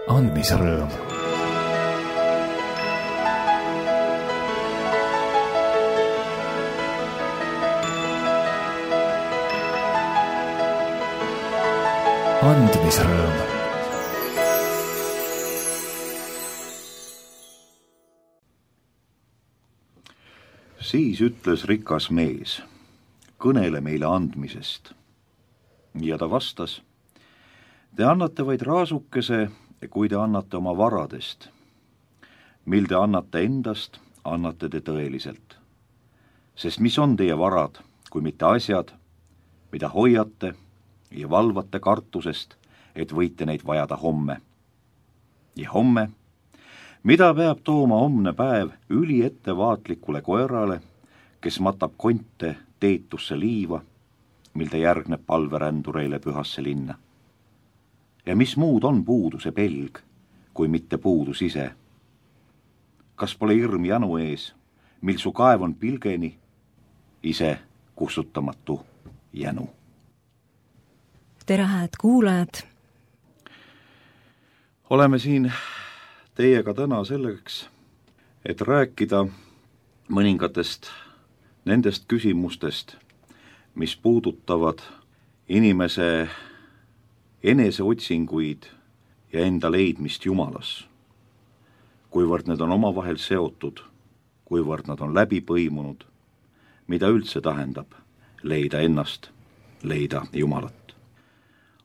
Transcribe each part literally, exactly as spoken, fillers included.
andmisrõõm. andmisrõõm. Siis ütles rikas mees, kõnele meile andmisest. Ja ta vastas, te annate vaid raasukese, kui te annate oma varadest. Mil te annate endast, annate te tõeliselt. Sest mis on teie varad, kui mitte asjad, mida hoiate ja valvate kartusest, et võite neid vajada homme. Ja homme, mida peab tooma homne päev üli ettevaatlikule koerale, kes matab konte teetusse liiva, mil ta järgneb palverändureile pühasse linna. Ja mis muud on puuduse pelg, kui mitte puudus ise? Kas pole hirm janu ees, mil su kaev on pilgeni, ise kustutamatu jänu? Tere, hääd kuulajad! Oleme siin teiega täna selleks, et rääkida mõningatest nendest küsimustest, mis puudutavad inimese eneseotsinguid ja enda leidmist Jumalas. Kuivõrd need on omavahel seotud, kuivõrd nad on läbi põimunud, mida üldse tähendab leida ennast, leida Jumalat.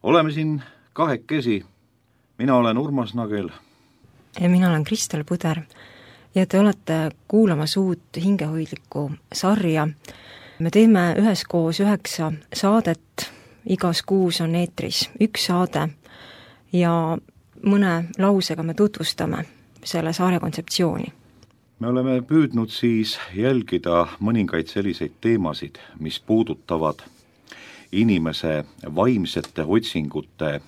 Oleme siin kahekesi, mina olen Urmas Nagel. Ja mina olen Kristel Puder ja te olete kuulamas uut hingehoidlikku sarja. Me teeme üheskoos üheksa saadet, igas kuus on eetris üks saade ja mõne lausega me tutvustame selle saare kontseptsiooni. Me oleme püüdnud siis jälgida mõningaid selliseid teemasid, mis puudutavad inimese vaimsete otsingute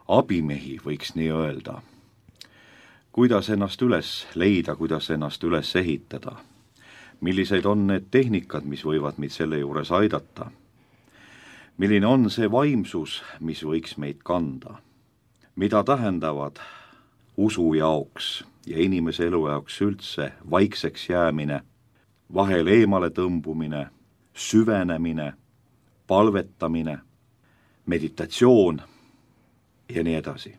abimehi, võiks nii öelda. Kuidas ennast üles leida, kuidas ennast üles ehitada. Millised on need tehnikad, mis võivad meid selle juures aidata? Milline on see vaimsus, mis võiks meid kanda? Mida tähendavad usu jaoks ja inimese elu jaoks üldse vaikseks jäämine, vahel eemale tõmbumine, süvenemine, palvetamine, meditatsioon ja nii edasi.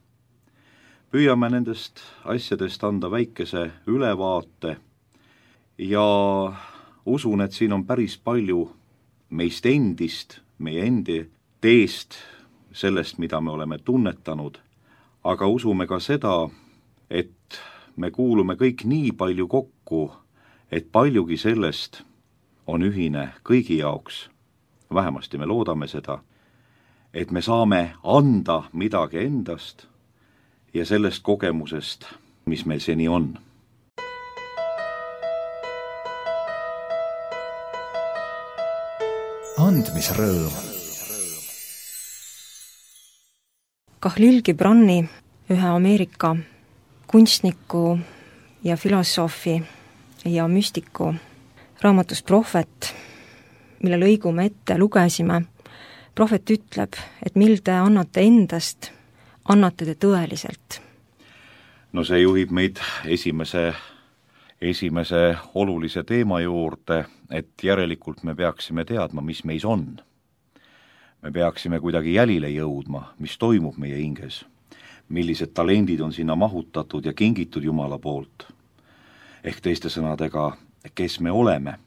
Püüame nendest asjadest anda väikese ülevaate ja usun, et siin on päris palju meist endist, meie endi teest, sellest, mida me oleme tunnetanud, aga usume ka seda, et me kuulume kõik nii palju kokku, et paljugi sellest on ühine kõigi jaoks. Vähemasti me loodame seda, et me saame anda midagi endast ja sellest kogemusest, mis meil seni on. Andmisrõõm. Kahlil Gibrani, ühe Ameerika kunstniku ja filosoofi ja müstiku raamatus Prohvet, mille lõigu me ette lugesime, Prohvet ütleb, et mil te annate endast, annate te tõeliselt. No see juhib meid esimese, esimese olulise teema juurde, et järelikult me peaksime teadma, mis meis on. Me peaksime kuidagi jälile jõudma, mis toimub meie hinges, millised talendid on sinna mahutatud ja kingitud Jumala poolt. Ehk teiste sõnadega, kes me oleme.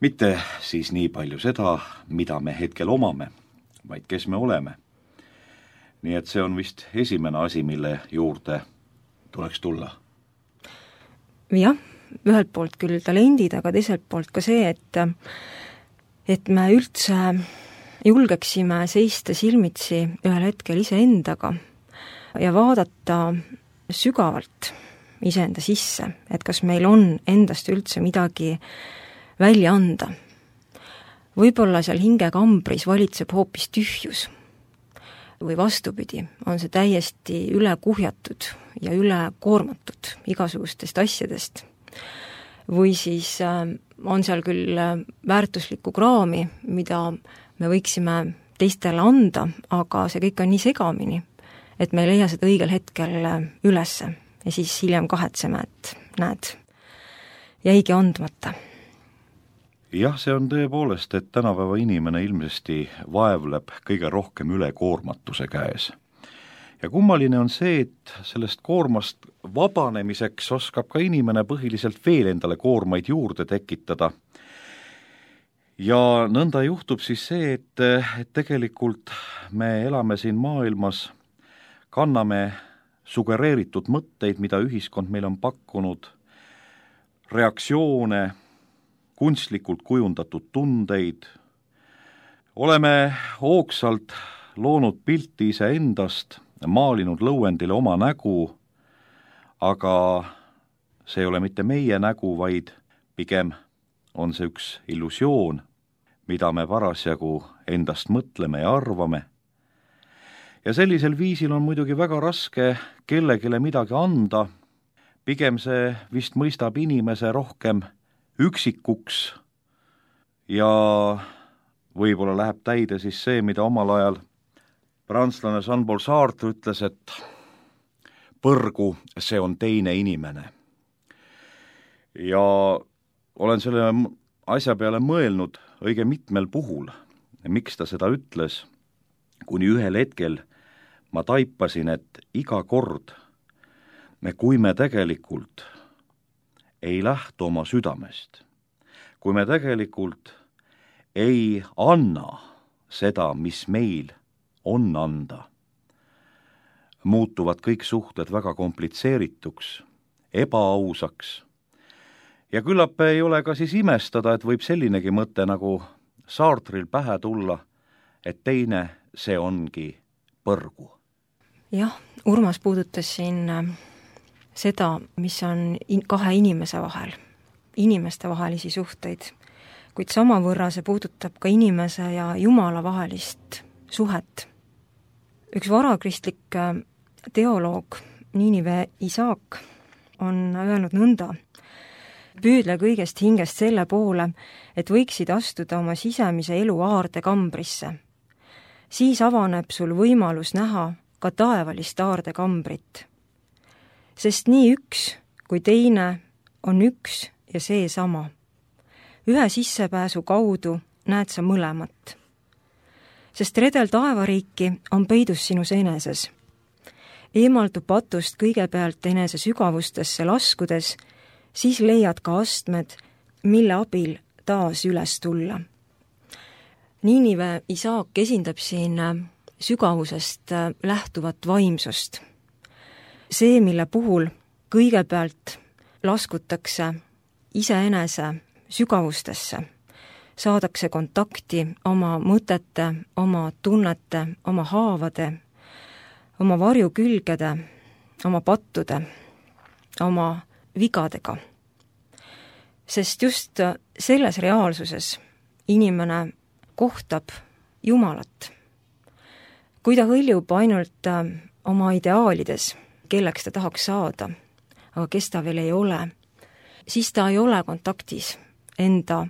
Mitte siis nii palju seda, mida me hetkel omame, vaid kes me oleme. Nii et see on vist esimene asi, mille juurde tuleks tulla. Jah, ühelt poolt küll talendid, aga teiselt poolt ka see, et, et me üldse julgeksime seista silmitsi ühel hetkel iseendaga ja vaadata sügavalt iseenda sisse, et kas meil on endast üldse midagi välja anda. Võib-olla seal hingekambris valitseb hoopis tühjus või vastupidi, on see täiesti üle kuhjatud ja üle koormatud igasugustest asjadest. Või siis on seal küll väärtuslikku kraami, mida me võiksime teistele anda, aga see kõik on nii segamini, et me ei leia seda õigel hetkel ülesse ja siis hiljem kahetseme, et näed, jäigi andmata. Jah, see on tõepoolest, et tänapäeva inimene ilmsesti vaevleb kõige rohkem ülekoormatuse käes. Ja kummaline on see, et sellest koormast vabanemiseks oskab ka inimene põhiliselt veel endale koormaid juurde tekitada. Ja nõnda juhtub siis see, et, et tegelikult me elame siin maailmas, kanname sugereeritud mõtteid, mida ühiskond meil on pakkunud, reaktsioone, kunstlikult kujundatud tundeid, oleme hoogsalt loonud pilti iseendast, maalinud lõuendile oma nägu, aga see ei ole mitte meie nägu, vaid pigem on see üks illusioon, mida me parasjagu endast mõtleme ja arvame. Ja sellisel viisil on muidugi väga raske kellegile midagi anda, pigem see vist mõistab inimese rohkem üksikuks ja võib-olla läheb täide siis see, mida omal ajal prantslane Jean-Paul Sartre ütles, et põrgu, see on teine inimene. Ja olen selle asja peale mõelnud õige mitmel puhul, miks ta seda ütles, kuni ühel hetkel ma taipasin, et iga kord, kui me tegelikult ei lähtu oma südamest, kui me tegelikult ei anna seda, mis meil on anda, muutuvad kõik suhted väga komplitseerituks, ebaausaks. Ja küllap ei ole ka siis imestada, et võib sellinegi mõte nagu Sartril pähe tulla, et teine, see ongi põrgu. Jah, Urmas puudutas siin seda, mis on in- kahe inimese vahel, inimeste vahelisi suhteid, kuid samavõrra see puudutab ka inimese ja Jumala vahelist suhet. Üks varakristlik teoloog Niinive Isaak on öelnud nõnda: püüdle kõigest hingest selle poole, et võiksid astuda oma sisemise elu aarde kambrisse. Siis avaneb sul võimalus näha ka taevalist aarde kambrit. Sest nii üks kui teine on üks ja seesama. Ühe sissepääsu kaudu näed sa mõlemat. Sest redel taevariiki on peidus sinus eneses. Eemaldu patust kõigepealt enese sügavustesse laskudes, siis leiad ka astmed, mille abil taas üles tulla. Niinive Isaak esindab siin sügavusest lähtuvat vaimsust. See, mille puhul kõigepealt laskutakse iseenese sügavustesse, saadakse kontakti oma mõtete, oma tunnete, oma haavade, oma varjukülgede, oma pattude, oma vigadega. Sest just selles reaalsuses inimene kohtab Jumalat. Kui ta hõljub ainult oma ideaalides, kelleks ta tahaks saada, aga kes ta veel ei ole, siis ta ei ole kontaktis enda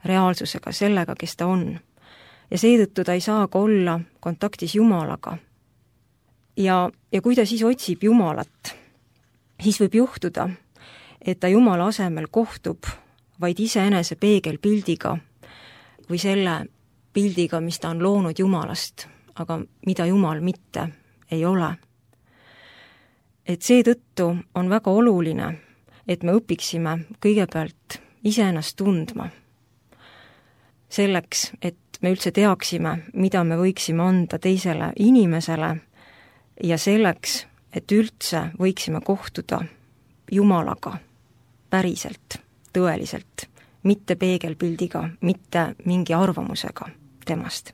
reaalsusega, sellega, kes ta on. Ja seetõttu ta ei saa ka olla kontaktis Jumalaga. Ja, ja kui ta siis otsib Jumalat, siis võib juhtuda, et ta Jumala asemel kohtub vaid iseenese peegelpildiga või selle pildiga, mis ta on loonud Jumalast, aga mida Jumal mitte ei ole. Et seetõttu on väga oluline, et me õpiksime kõigepealt iseennast tundma. Selleks, et me üldse teaksime, mida me võiksime anda teisele inimesele ja selleks, et üldse võiksime kohtuda Jumalaga päriselt, tõeliselt, mitte peegelpildiga, mitte mingi arvamusega temast.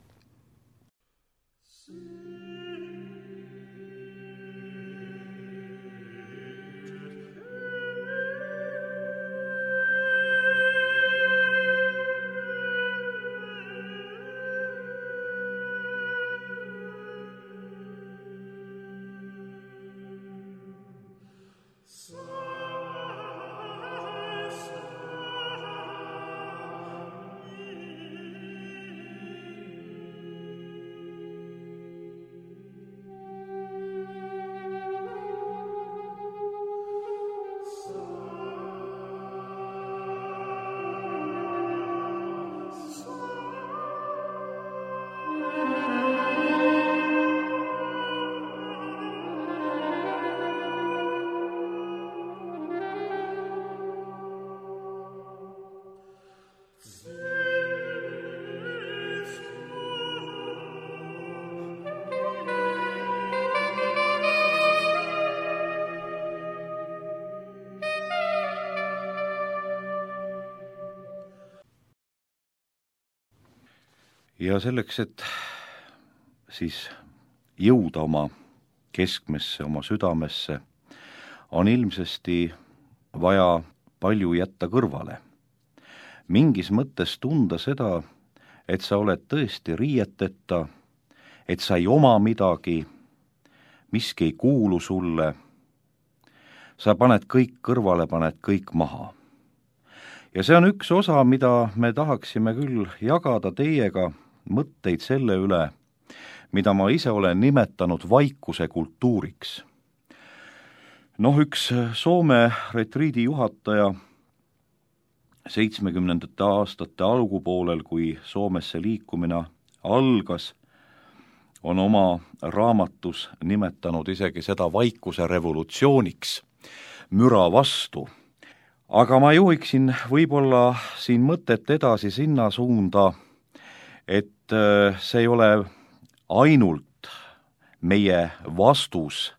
ja selleks, et siis jõuda oma keskmesse, oma südamesse, on ilmsesti vaja palju jätta kõrvale. Mingis mõttes tunda seda, et sa oled tõesti riieteta, et sa ei oma midagi, miski ei kuulu sulle, sa paned kõik kõrvale, paned kõik maha. Ja see on üks osa, mida me tahaksime küll jagada teiega, mõtteid selle üle, mida ma ise olen nimetanud vaikuse kultuuriks. Noh, üks Soome retriidi juhataja seitsmekümnendate aastate algupoolel, kui Soomesse liikumine algas, on oma raamatus nimetanud isegi seda vaikuse revolutsiooniks, müra vastu. Aga ma juhiksin võib-olla siin mõtet edasi sinna suunda, et see ei ole ainult meie vastus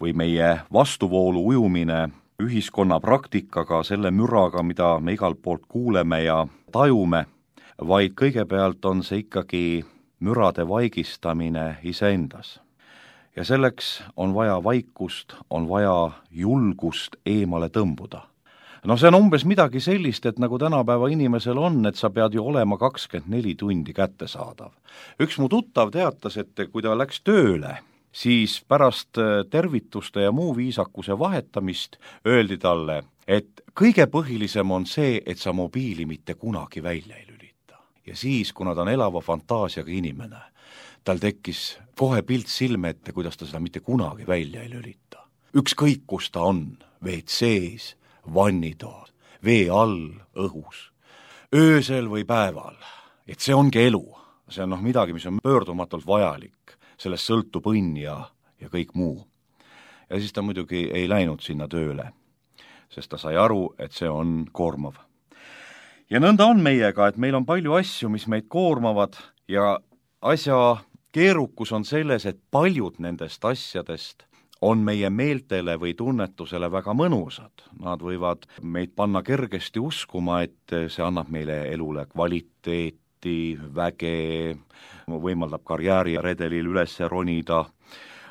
või meie vastuvoolu ujumine ühiskonna praktikaga, selle müraga, mida me igalt poolt kuuleme ja tajume, vaid kõigepealt on see ikkagi mürade vaigistamine iseendas. Ja selleks on vaja vaikust, on vaja julgust eemale tõmbuda. No see on umbes midagi sellist, et nagu tänapäeva inimesel on, et sa pead ju olema kakskümmend neli tundi kättesaadav. Üks mu tuttav teatas, et kui ta läks tööle, siis pärast tervituste ja muu viisakuse vahetamist öeldi talle, et kõige põhilisem on see, et sa mobiili mitte kunagi välja ei lülita. Ja siis, kuna ta on elava fantaasiaga inimene, tal tekkis kohe pilt silme ette, kuidas ta seda mitte kunagi välja ei lülita. Ükskõik, kus ta on, V C-s, vannitoas, vee all, õhus, öösel või päeval. Et see ongi elu. See on noh midagi, mis on pöördumatult vajalik. Sellest sõltub õnn ja, ja kõik muu. Ja siis ta muidugi ei läinud sinna tööle, sest ta sai aru, et see on koormav. Ja nõnda on meiega, et meil on palju asju, mis meid koormavad ja asja keerukus on selles, et paljud nendest asjadest on meie meeltele või tunnetusele väga mõnusad. Nad võivad meid panna kergesti uskuma, et see annab meile elule kvaliteeti, väge, võimaldab karjääriredelil üles ronida,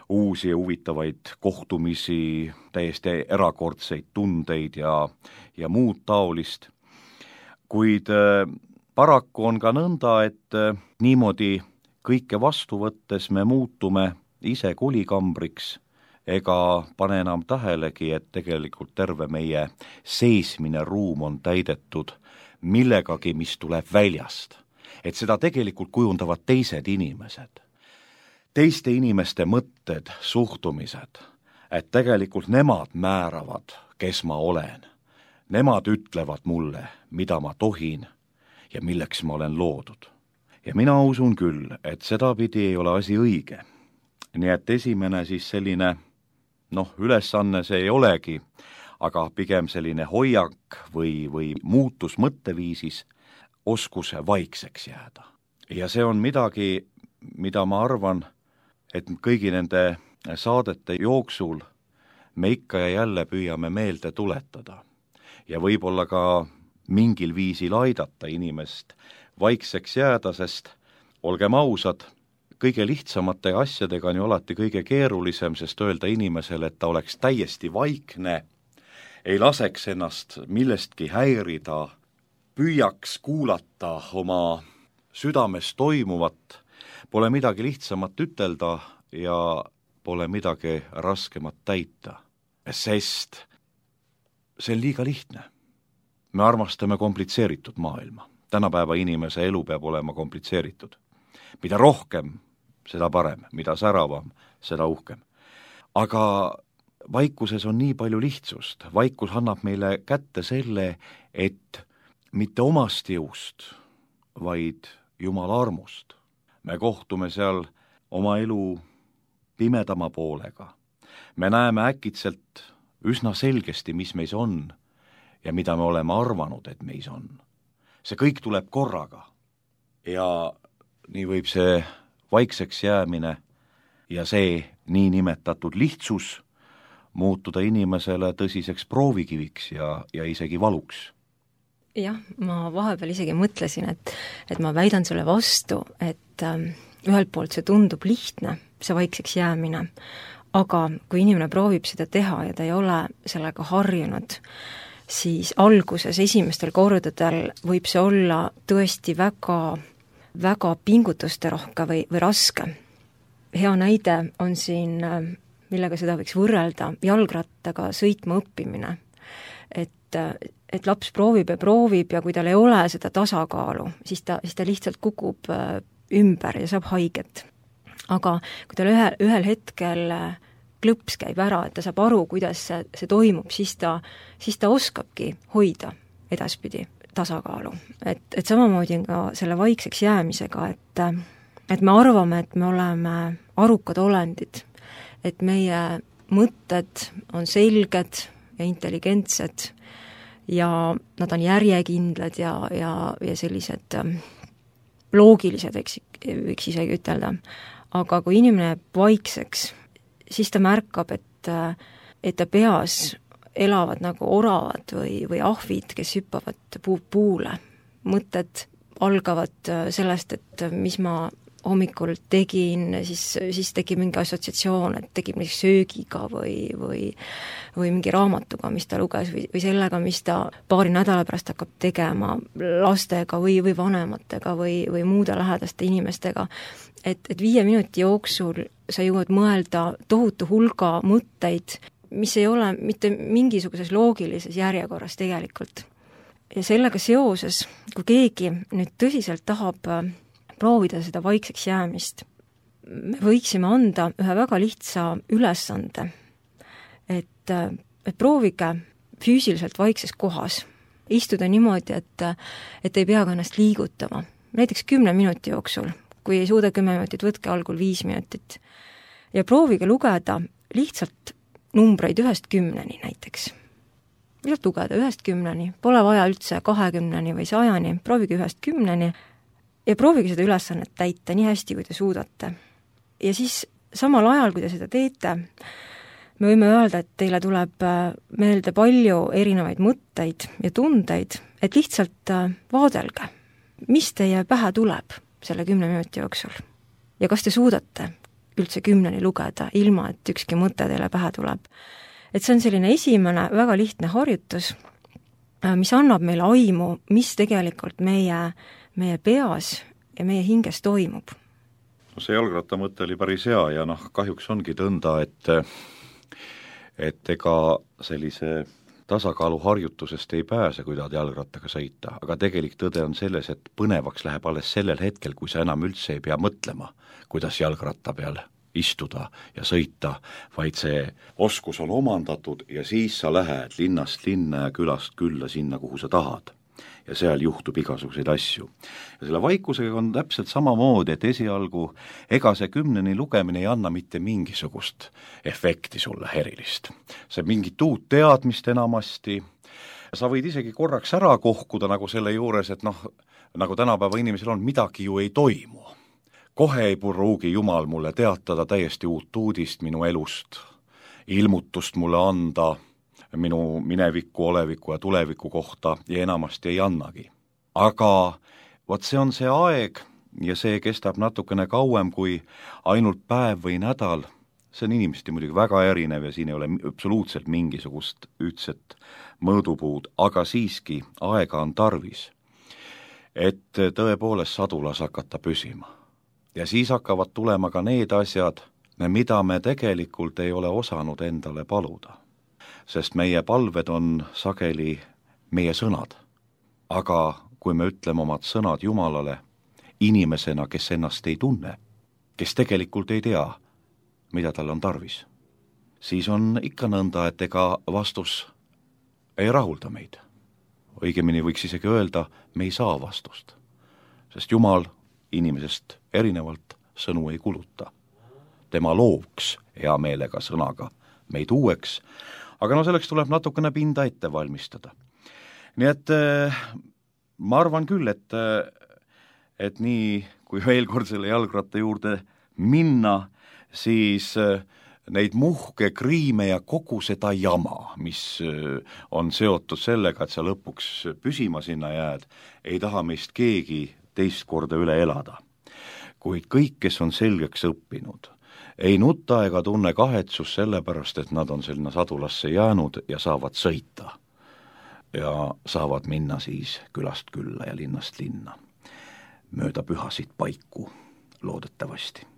uusi ja huvitavaid kohtumisi, täiesti erakordseid tundeid ja, ja muud taolist. Kuid paraku on ka nõnda, et niimoodi kõike vastu võttes me muutume ise kulikambriks, ega pane enam tähelegi, et tegelikult terve meie seismine ruum on täidetud millegagi, mis tuleb väljast. Et seda tegelikult kujundavad teised inimesed. Teiste inimeste mõtted, suhtumised, et tegelikult nemad määravad, kes ma olen. Nemad ütlevad mulle, mida ma tohin ja milleks ma olen loodud. Ja mina usun küll, et sedapidi ei ole asi õige. Nii et esimene siis selline noh, ülesanne see ei olegi, aga pigem selline hoiak või, või muutus mõtteviisis, oskus vaikseks jääda. Ja see on midagi, mida ma arvan, et kõigi nende saadete jooksul me ikka ja jälle püüame meelde tuletada. Ja võib-olla ka mingil viisil aidata inimest vaikseks jääda, sest olgem ausad, kõige lihtsamate asjadega on ju alati kõige keerulisem, sest öelda inimesele, et ta oleks täiesti vaikne, ei laseks ennast millestki häirida, püüaks kuulata oma südames toimuvat, pole midagi lihtsamat ütelda ja pole midagi raskemat täita, sest see on liiga lihtne. Me armastame komplitseeritud maailma. Tänapäeva inimese elu peab olema komplitseeritud. Mida rohkem, seda parem, mida säravam, seda uhkem. Aga vaikuses on nii palju lihtsust. Vaikus annab meile kätte selle, et mitte omast jõust, vaid Jumala armust. Me kohtume seal oma elu pimedama poolega. Me näeme äkitselt üsna selgesti, mis meis on ja mida me oleme arvanud, et meis on. See kõik tuleb korraga ja nii võib see vaikseks jäämine ja see niinimetatud lihtsus muutuda inimesele tõsiseks proovikiviks ja, ja isegi valuks. jah, ma vahepeal isegi mõtlesin, et, et ma väidan sulle vastu, et ähm, ühelt poolt see tundub lihtne, see vaikseks jäämine, aga kui inimene proovib seda teha ja ta ei ole sellega harjunud, siis alguses esimestel kordadel võib see olla tõesti väga, väga pingutusterohke või, või raske. Hea näide on siin, millega seda võiks võrrelda, jalgrattaga sõitma õppimine. Et, et laps proovib ja proovib ja kui tal ei ole seda tasakaalu, siis ta, siis ta lihtsalt kukub ümber ja saab haiget. Aga kui tal ühe, ühel hetkel klõps käib ära, et ta saab aru, kuidas see, see toimub, siis ta, siis ta oskabki hoida edaspidi tasakaalu. Et, et samamoodi on ka selle vaikseks jäämisega, et, et me arvame, et me oleme arukad olendid, et meie mõtted on selged ja intelligentsed ja nad on järjekindlad ja, ja, ja sellised loogilised, eks, võiks isegi ütelda. Aga kui inimene jääb vaikseks, siis ta märkab, et, et ta peas elavad nagu oravad või, või ahvid, kes hüppavad puu, puule. Mõtted algavad sellest, et mis ma hommikul tegin, siis, siis tekib mingi assotsiatsioon, et tekib mingi söögiga või, või, või mingi raamatuga, mis ta luges, või, või sellega, mis ta paari nädala pärast hakkab tegema lastega või, või vanematega või, või muude lähedaste inimestega. Et, et viie minuti jooksul sa jõuad mõelda tohutu hulga mõtteid, mis ei ole mitte mingisuguses loogilises järjekorras tegelikult. Ja sellega seoses, kui keegi nüüd tõsiselt tahab proovida seda vaikseks jäämist, me võiksime anda ühe väga lihtsa ülesande, et, et proovige füüsiliselt vaikses kohas istuda niimoodi, et, et ei pea ka ennast liigutama. Näiteks kümne minuti jooksul, kui ei suuda kümme minutit, võtke algul viis minutit. Ja proovige lugeda lihtsalt numbreid ühest kümneni näiteks. Lihtsalt lugeda ühest kümneni, pole vaja üldse kahekümneni või sajani, proovige ühest kümneni, ja proovige seda ülesannet täita nii hästi, kui te suudate. Ja siis samal ajal, kui te seda teete, me võime öelda, et teile tuleb meelde palju erinevaid mõtteid ja tundeid, et lihtsalt vaadelge, mis teie pähe tuleb selle kümne minuti jooksul. Ja kas te suudate üldse kümneni lugeda, ilma et ükski mõte teile pähe tuleb. Et see on selline esimene väga lihtne harjutus, mis annab meile aimu, mis tegelikult meie meie peas ja meie hinges toimub. No see jalgratta mõte oli päris hea ja noh, kahjuks ongi tõnda, et et ega sellise tasakaalu harjutusest ei pääse, kui tahad jalgrattaga sõita, aga tegelik tõde on selles, et põnevaks läheb alles sellel hetkel, kui sa enam üldse ei pea mõtlema, kuidas jalgratta peal istuda ja sõita, vaid see oskus on omandatud ja siis sa lähed linnast linna ja külast külla sinna, kuhu sa tahad. Ja seal juhtub igasuguseid asju. Ja selle vaikusega on täpselt samamoodi, et esialgu ega see kümneni lugemine ei anna mitte mingisugust efekti sulle erilist. See mingit uut teadmist enamasti, sa võid isegi korraks ära kohkuda nagu selle juures, et noh, nagu tänapäeva inimesel on, midagi ju ei toimu. Kohe ei pruugi Jumal mulle teatada täiesti uut uudist minu elust, ilmutust mulle anda minu mineviku, oleviku ja tuleviku kohta ja enamasti ei annagi. Aga vot see on see aeg ja see kestab natukene kauem kui ainult päev või nädal. See on inimesti muidugi väga erinev ja siin ei ole absoluutselt mingisugust ühtset mõõdupuud, aga siiski aega on tarvis, et tõepoolest sadulas hakata püsima. Ja siis hakkavad tulema ka need asjad, mida me tegelikult ei ole osanud endale paluda. Sest meie palved on sageli meie sõnad. Aga kui me ütleme omad sõnad Jumalale inimesena, kes ennast ei tunne, kes tegelikult ei tea, mida tal on tarvis, siis on ikka nõnda, et ega vastus ei rahulda meid. Õigemini võiks isegi öelda, me ei saa vastust. Sest Jumal inimesest erinevalt sõnu ei kuluta. Tema looks hea meelega sõnaga meid uueks, aga no selleks tuleb natukene pinda ette valmistada. Nii et ma arvan küll, et, et nii kui veel kord selle jalgratta juurde minna, siis neid muhke kriime ja kogu seda jama, mis on seotud sellega, et sa lõpuks püsima sinna jääd, ei taha meist keegi teist korda üle elada. Kuid kõik, kes on selgeks õppinud, ei nuta ega tunne kahetsus sellepärast, et nad on sinna sadulasse jäänud ja saavad sõita. Ja saavad minna siis külast külla ja linnast linna. Mööda pühasid paiku, loodetavasti.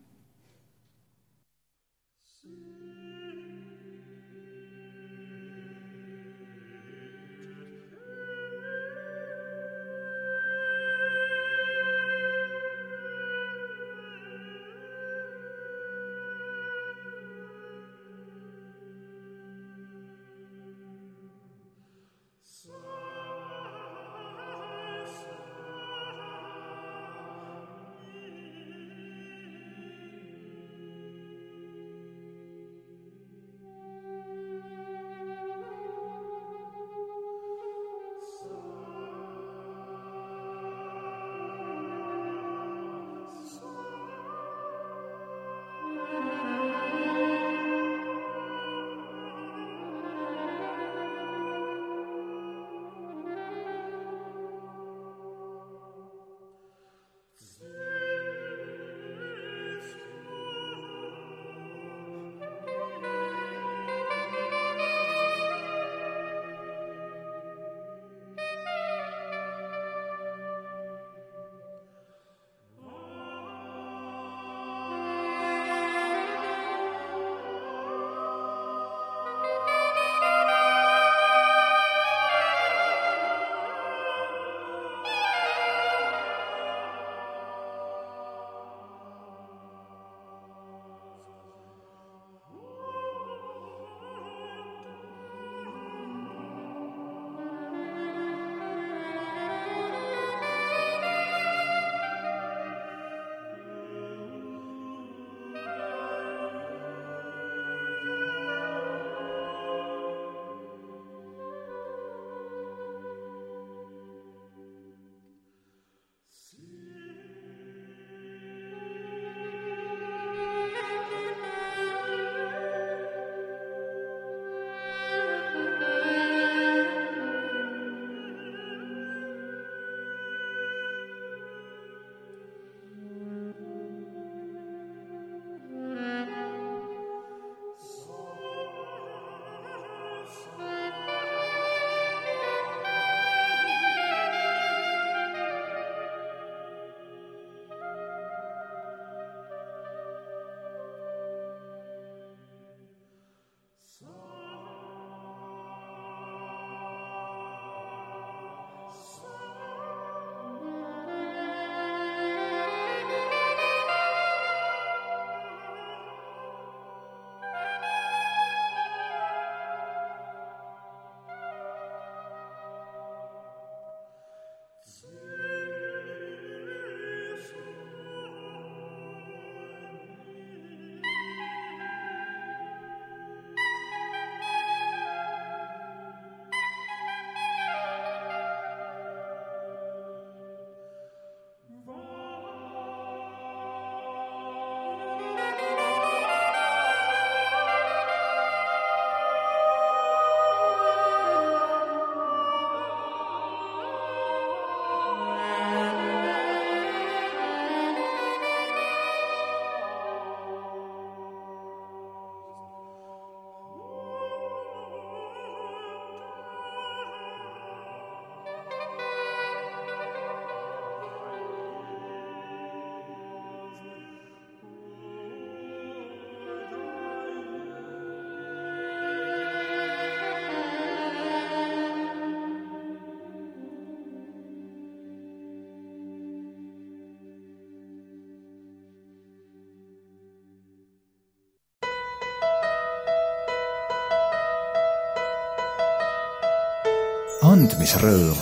andmisrõõm.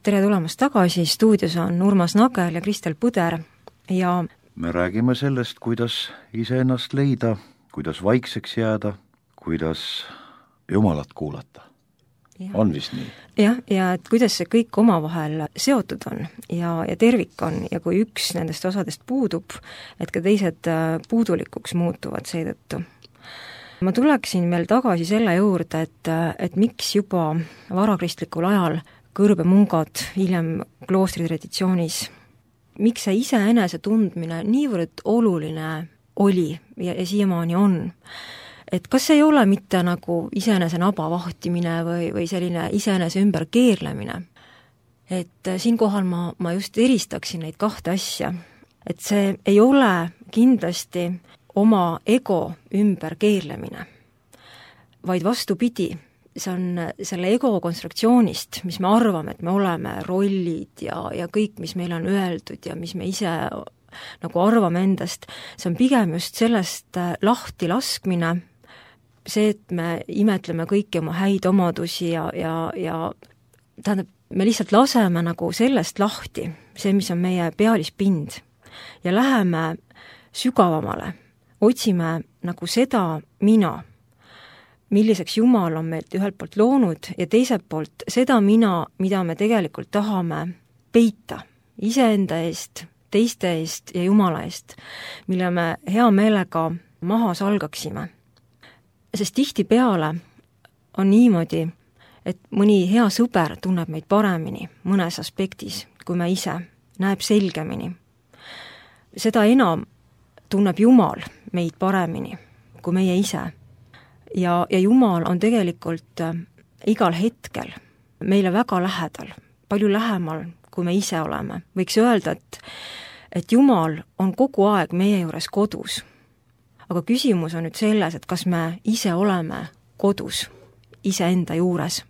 tere tulemast tagasi, stuudios on Urmas Nagel ja Kristel Põder ja me räägime sellest, kuidas iseennast leida, kuidas vaikseks jääda, kuidas Jumalat kuulata. on vist nii? jah, ja et kuidas see kõik omavahel seotud on ja, ja tervik on ja kui üks nendest osadest puudub, et ka teised puudulikuks muutuvad seetõttu. Ma tuleksin veel tagasi selle juurde, et, et miks juba varakristlikul ajal kõrbemungad, hiljem kloostri traditsioonis, miks see iseenese tundmine niivõrd oluline oli ja, ja siiamaani on. Et kas ei ole mitte nagu iseenese naba vahtimine või, või selline iseenese ümber keerlemine. Et siinkohal ma, ma just eristaksin neid kahte asja. Et see ei ole kindlasti oma ego ümber keerlemine, vaid vastupidi, see on selle ego konstruktsioonist, mis me arvame, et me oleme, rollid ja, ja kõik, mis meile on öeldud ja mis me ise nagu arvame endast, see on pigem just sellest lahti laskmine, see, et me imetleme kõiki oma häid omadusi ja, ja, ja tähendab, me lihtsalt laseme nagu sellest lahti, see, mis on meie pealispind, ja läheme sügavamale, otsime nagu seda mina, milliseks Jumal on meilt ühelt poolt loonud ja teiselt poolt seda mina, mida me tegelikult tahame peita iseenda eest, teiste eest ja Jumala eest, mille me hea meelega maha salgaksime. Sest tihtipeale on niimoodi, et mõni hea sõber tunneb meid paremini mõnes aspektis, kui me ise, näeb selgemini. Seda enam tunneb Jumal meid paremini, kui meie ise. Ja, ja Jumal on tegelikult igal hetkel meile väga lähedal, palju lähemal, kui me ise oleme. Võiks öelda, et, et Jumal on kogu aeg meie juures kodus. Aga küsimus on nüüd selles, et kas me ise oleme kodus, iseenda juures.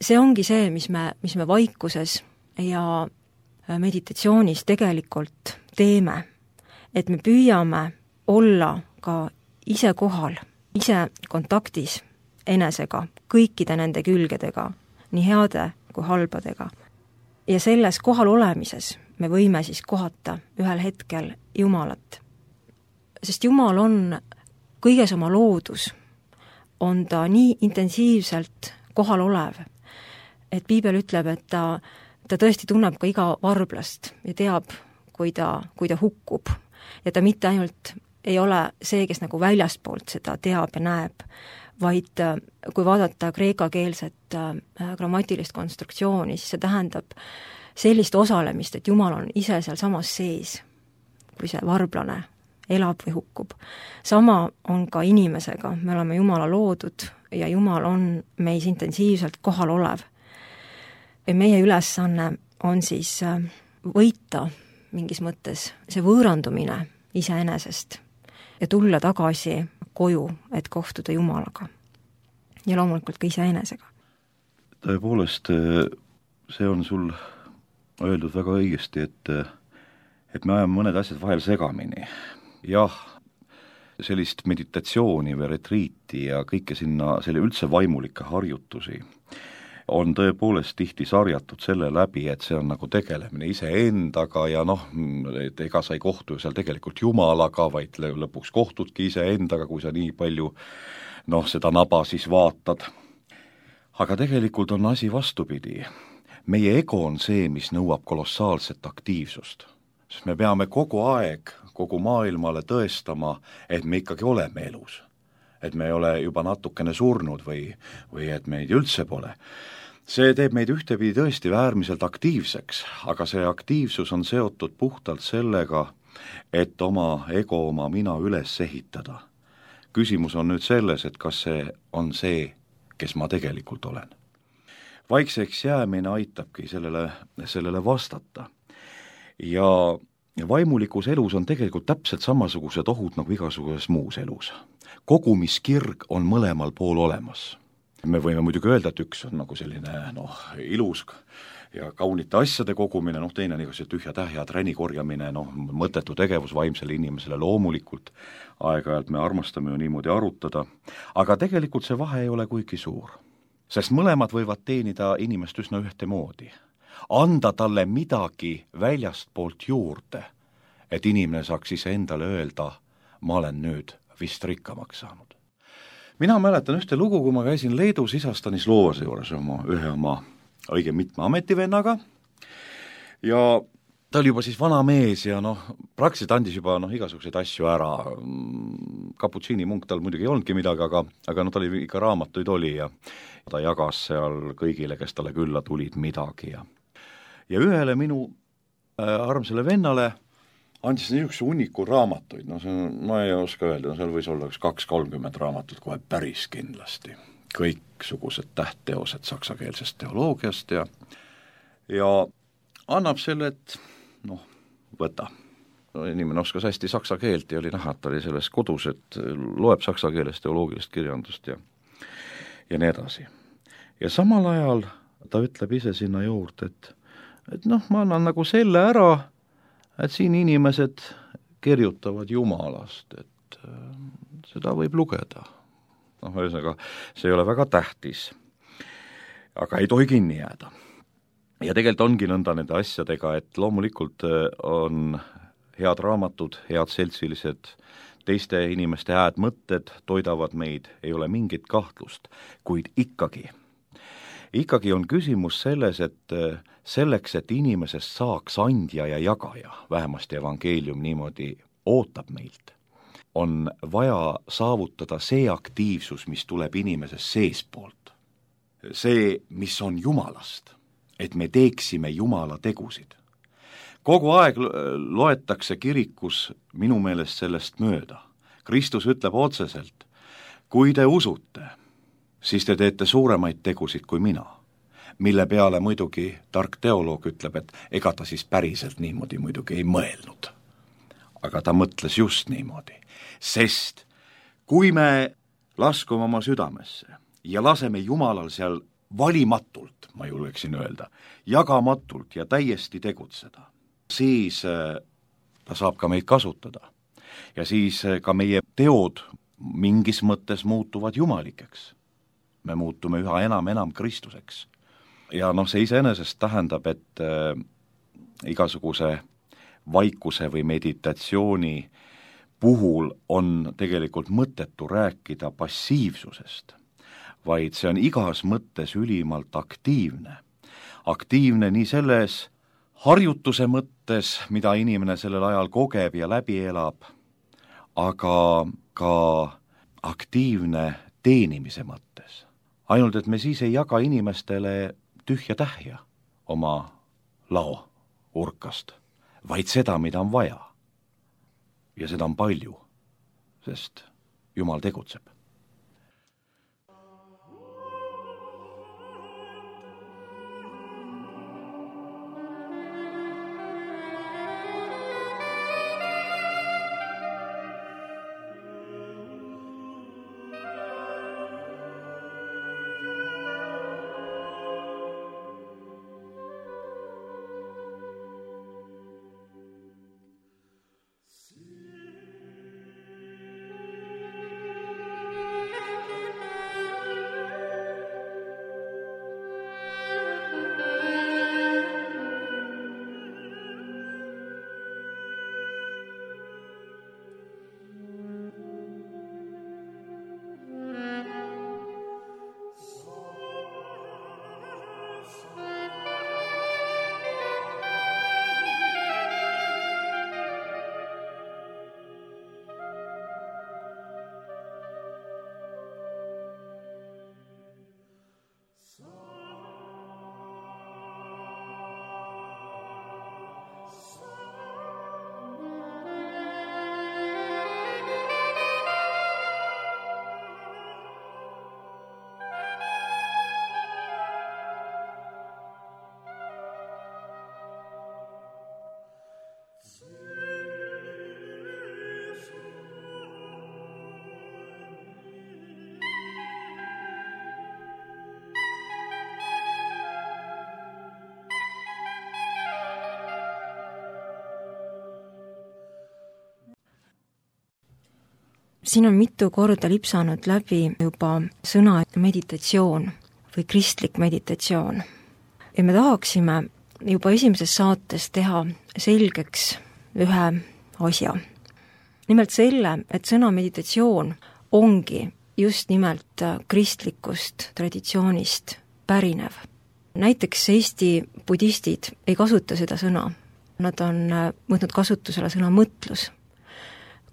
See ongi see, mis me, mis me vaikuses ja meditatsioonis tegelikult teeme, et me püüame olla ka ise kohal, ise kontaktis enesega, kõikide nende külgedega, nii heade kui halbadega. Ja selles kohal olemises me võime siis kohata ühel hetkel Jumalat. Sest Jumal on kõiges oma loodus, on ta nii intensiivselt kohal olev, et Piibel ütleb, et ta, ta tõesti tunneb ka iga varblast ja teab, kui ta, kui ta hukkub. Ja ta mitte ainult ei ole see, kes nagu väljastpoolt seda teab ja näeb, vaid kui vaadata kreekakeelset grammatilist konstruktsiooni, siis see tähendab sellist osalemist, et Jumal on ise seal samas sees, kui see varblane elab või hukkub. Sama on ka inimesega, me oleme Jumala loodud ja Jumal on meis intensiivselt kohal olev. Ja meie ülesanne on siis võita mingis mõttes see võõrandumine iseenesest ja tulla tagasi koju, et kohtuda Jumalaga. Ja loomulikult ka iseenesega. Tõepoolest, see on sul öeldud väga õigesti, et, et me ajame mõned asjad vahel segamini. Jah, sellist meditatsiooni või retriiti ja kõike sinna, selle üldse vaimulikke harjutusi on tõepoolest tihti sarjatud selle läbi, et see on nagu tegelemine iseendaga ja noh, et ega sa ei kohtu seal tegelikult Jumalaga, vaid lõpuks kohtudki iseendaga, kui sa nii palju noh, seda naba siis vaatad. Aga tegelikult on asi vastupidi. Meie ego on see, mis nõuab kolossaalset aktiivsust. Sest me peame kogu aeg, kogu maailmale tõestama, et me ikkagi oleme elus. Et me ei ole juba natukene surnud või, või et meid üldse pole. See teeb meid ühtepidi tõesti äärmiselt aktiivseks, aga see aktiivsus on seotud puhtalt sellega, et oma ego, oma mina üles ehitada. Küsimus on nüüd selles, et kas see on see, kes ma tegelikult olen. Vaikseks jäämine aitabki sellele, sellele vastata. Ja vaimulikus elus on tegelikult täpselt samasugused ohud nagu igasuguses muus elus. Kogumiskirg on mõlemal pool olemas. Me võime muidugi öelda, et üks on nagu selline noh, ilus ja kaunite asjade kogumine, noh teine nagu see tühja tähja träni korjamine, noh mõttetu tegevus vaimsele inimesele loomulikult, aeg-ajalt me armastame ju niimoodi arutada, aga tegelikult see vahe ei ole kuigi suur, sest mõlemad võivad teenida inimest üsna ühtemoodi, anda talle midagi väljastpoolt juurde, et inimene saaks ise endale öelda, ma olen nüüd vist rikkamaks saanud. mina mäletan ühte lugu, kui ma käisin Leedus isa Stanislovase juures oma, ühe oma õige mitme ametivennaga ja ta oli juba siis vana mees ja noh, praktiliselt andis juba noh, igasuguseid asju ära. Kaputsiini munk tal muidugi ei olnudki midagi, aga, aga no tal oli ikka raamatuid oli ja ta jagas seal kõigile, kes talle külla tulid midagi ja ja ühele minu äh, armsale vennale andis niisuguse hunniku raamatuid, no see on, ma ei oska öelda, no seal võis olla üks kaks kolmkümmend raamatut kohe päris kindlasti. Kõiksugused tähtteosed saksakeelsest teoloogiast ja ja annab selle, et noh, võta. No, inimene oskas hästi saksa keelt ja oli näha, et ta oli selles kodus, et loeb saksa keelest teoloogilist kirjandust ja ja nii edasi. Ja samal ajal ta ütleb ise sinna juurde, et et noh, ma annan nagu selle ära, et siin inimesed kirjutavad Jumalast, et äh, seda võib lugeda. Noh, ühesõnaga, see ei ole väga tähtis, aga ei tohi kinni jääda. Ja tegelikult ongi nõnda nende asjadega, et loomulikult on head raamatud, head seltsilised, teiste inimeste hääd mõtted toidavad meid, ei ole mingit kahtlust, kuid ikkagi. Ikkagi on küsimus selles, et selleks, et inimesest saaks andja ja jagaja, vähemasti evangeelium niimoodi ootab meilt, on vaja saavutada see aktiivsus, mis tuleb inimesest seespoolt. See, mis on Jumalast, et me teeksime Jumala tegusid. Kogu aeg loetakse kirikus minu meelest sellest mööda. Kristus ütleb otseselt, kui te usute, siis te teete suuremaid tegusid kui mina, mille peale muidugi tark teoloog ütleb, et ega ta siis päriselt niimoodi muidugi ei mõelnud. Aga ta mõtles just niimoodi, sest kui me laskume oma südamesse ja laseme Jumalal seal valimatult, ma julgeksin öelda, jagamatult ja täiesti tegutseda, siis ta saab ka meid kasutada. Ja siis ka meie teod mingis mõttes muutuvad jumalikeks. Me muutume üha enam enam Kristuseks. Ja noh, see iseenesest tähendab, et äh, igasuguse vaikuse või meditatsiooni puhul on tegelikult mõttetu rääkida passiivsusest, vaid see on igas mõttes ülimalt aktiivne. Aktiivne nii selles harjutuse mõttes, mida inimene sellel ajal kogeb ja läbi elab, aga ka aktiivne teenimise mõttes. Ainult, et me siis ei jaga inimestele tühja tähja oma lao urkast, vaid seda, mida on vaja. Ja seda on palju, sest Jumal tegutseb. Siin on mitu korda lipsanud läbi juba sõna meditatsioon või kristlik meditatsioon. Ja me tahaksime juba esimeses saates teha selgeks ühe asja. Nimelt selle, et sõna meditatsioon ongi just nimelt kristlikust traditsioonist pärinev. Näiteks Eesti budistid ei kasuta seda sõna, nad on võtnud kasutusele sõna mõtlus,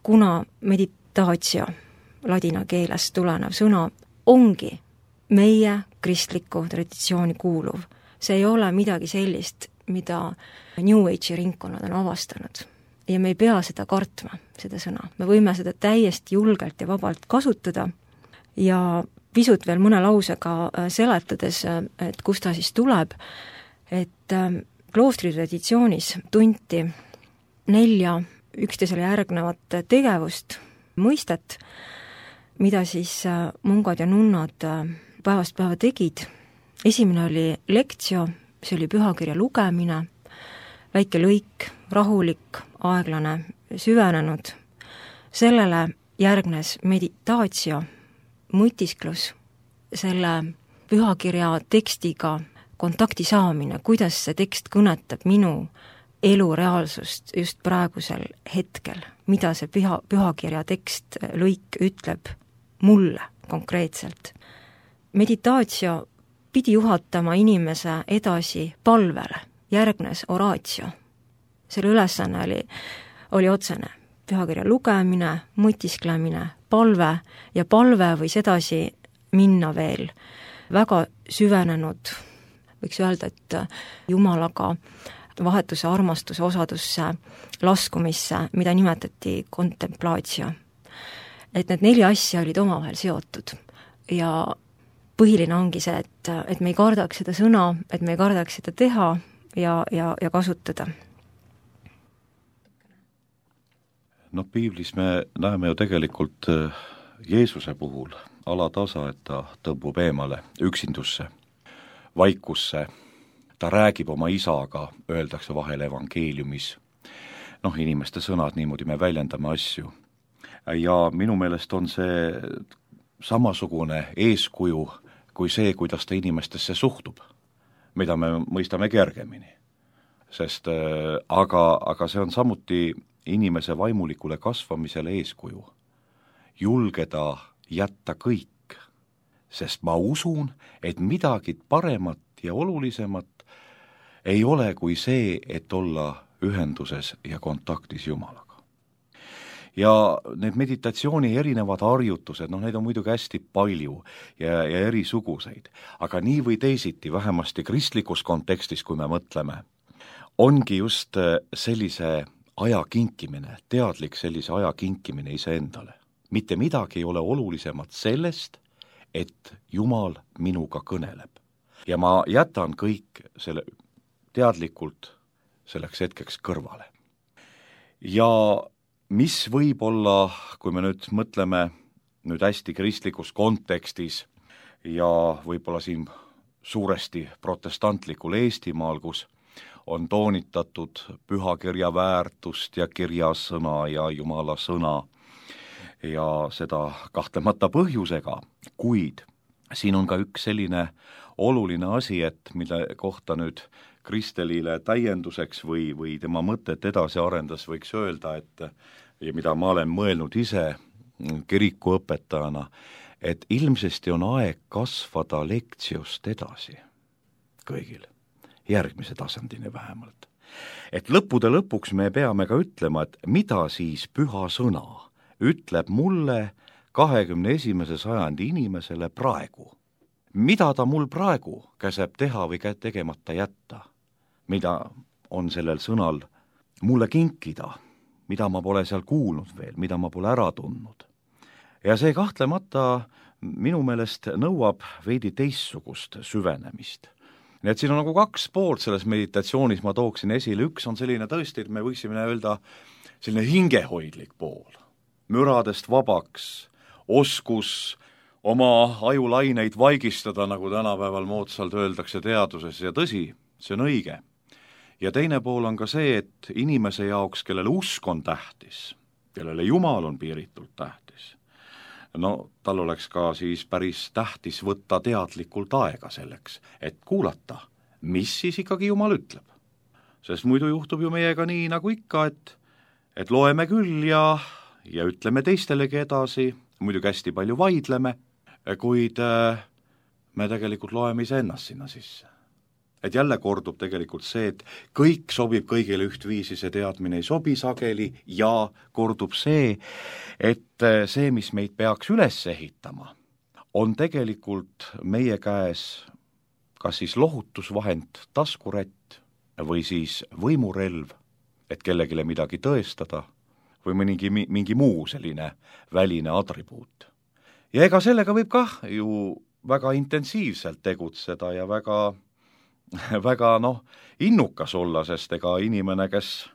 kuna meditaatio, ladina keelest tulenev sõna, ongi meie kristliku traditsiooni kuuluv. See ei ole midagi sellist, mida New Age'i ringkonnad on avastanud. Ja me ei pea seda kartma, seda sõna. Me võime seda täiesti julgelt ja vabalt kasutada ja pisut veel mõne lausega seletades, et kust ta siis tuleb, et kloostri traditsioonis tunti nelja üksteisele järgnevat tegevust, mõistet, mida siis mungad ja nunnad päevast päeva tegid. Esimene oli lektsio, see oli pühakirja lugemine, väike lõik, rahulik, aeglane, süvenenud. Sellele järgnes meditaatio, mõtisklus, selle pühakirja tekstiga kontakti saamine, kuidas see tekst kõnetab minu elu reaalsust just praegusel hetkel, mida see püha, pühakirja tekst lõik ütleb mulle konkreetselt. Meditaatio pidi juhatama inimese edasi palvele, järgnes oraatio. Selle ülesanne oli, oli otsene pühakirja lugemine, mõtisklemine, palve ja palve võis edasi minna veel väga süvenenud, võiks öelda, et Jumalaga vahetuse armastuse osadusse laskumisse, mida nimetati kontemplaatio. Et need neli asja olid omavahel seotud ja põhiline ongi see, et, et me ei kardaks seda sõna, et me ei kardaks seda teha ja, ja, ja kasutada. Noh, piiblis me näeme ju tegelikult Jeesuse puhul alatasa, et ta tõmbub eemale üksindusse, vaikusse, ta räägib oma isaga, öeldakse vahel evangeeliumis. Noh, inimeste sõnad, niimoodi me väljendame asju. Ja minu meelest on see samasugune eeskuju kui see, kuidas ta inimestesse suhtub, mida me mõistame kergemini. Sest aga, aga see on samuti inimese vaimulikule kasvamisele eeskuju. Julgeda jätta kõik, sest ma usun, et midagi paremat ja olulisemat ei ole kui see, et olla ühenduses ja kontaktis Jumalaga. Ja need meditatsiooni erinevad harjutused, noh, neid on muidugi hästi palju ja, ja erisuguseid, aga nii või teisiti, vähemasti kristlikus kontekstis, kui me mõtleme, ongi just sellise aja kinkimine, teadlik sellise aja kinkimine iseendale. Mitte midagi ei ole olulisemat sellest, et Jumal minuga kõneleb. Ja ma jätan kõik selle teadlikult selleks hetkeks kõrvale. Ja mis võib olla, kui me nüüd mõtleme nüüd hästi kristlikus kontekstis ja võib-olla siin suuresti protestantlikul Eestimaal, kus on toonitatud pühakirja väärtust ja kirjasõna ja Jumala sõna ja seda kahtlemata põhjusega, kuid siin on ka üks selline oluline asi, et mille kohta nüüd Kristelile täienduseks või, või tema mõtet edasi arendas, võiks öelda, et ja mida ma olen mõelnud ise kirikuõpetajana, et ilmsesti on aeg kasvada lektsiost edasi kõigil, järgmise tasandini vähemalt. Et lõppude lõpuks me peame ka ütlema, et mida siis püha sõna ütleb mulle kahekümne esimese sajandi inimesele praegu. Mida ta mul praegu käseb teha või tegemata jätta? Mida on sellel sõnal mulle kinkida, mida ma pole seal kuulnud veel, mida ma pole ära tundnud. Ja see kahtlemata minu meelest nõuab veidi teistsugust süvenemist. Nii et siin on nagu kaks poolt selles meditatsioonis, ma tooksin esile, üks on selline tõesti, et me võiksime öelda selline hingehoidlik pool, müradest vabaks, oskus oma ajulaineid vaigistada, nagu tänapäeval moodsalt öeldakse teaduses, ja tõsi, see on õige. Ja teine pool on ka see, et inimese jaoks, kellele usk on tähtis, kellele Jumal on piiritult tähtis, no tal oleks ka siis päris tähtis võtta teadlikult aega selleks, et kuulata, mis siis ikkagi Jumal ütleb. Sest muidu juhtub ju meiega nii nagu ikka, et, et loeme küll ja, ja ütleme teistelegi edasi, muidugi hästi palju vaidleme, kuid me tegelikult loeme iseennast sinna sisse. Et jälle kordub tegelikult see, et kõik sobib kõigile ühtviisi, see teadmine ei sobi sageli ja kordub see, et see, mis meid peaks üles ehitama, on tegelikult meie käes kas siis lohutusvahend, taskurätt või siis võimurelv, et kellegile midagi tõestada või mingi, mingi muu selline väline atribuut. Ja ega sellega võib kah ju väga intensiivselt tegutseda ja väga väga noh, innukas olla, sest ega inimene, kes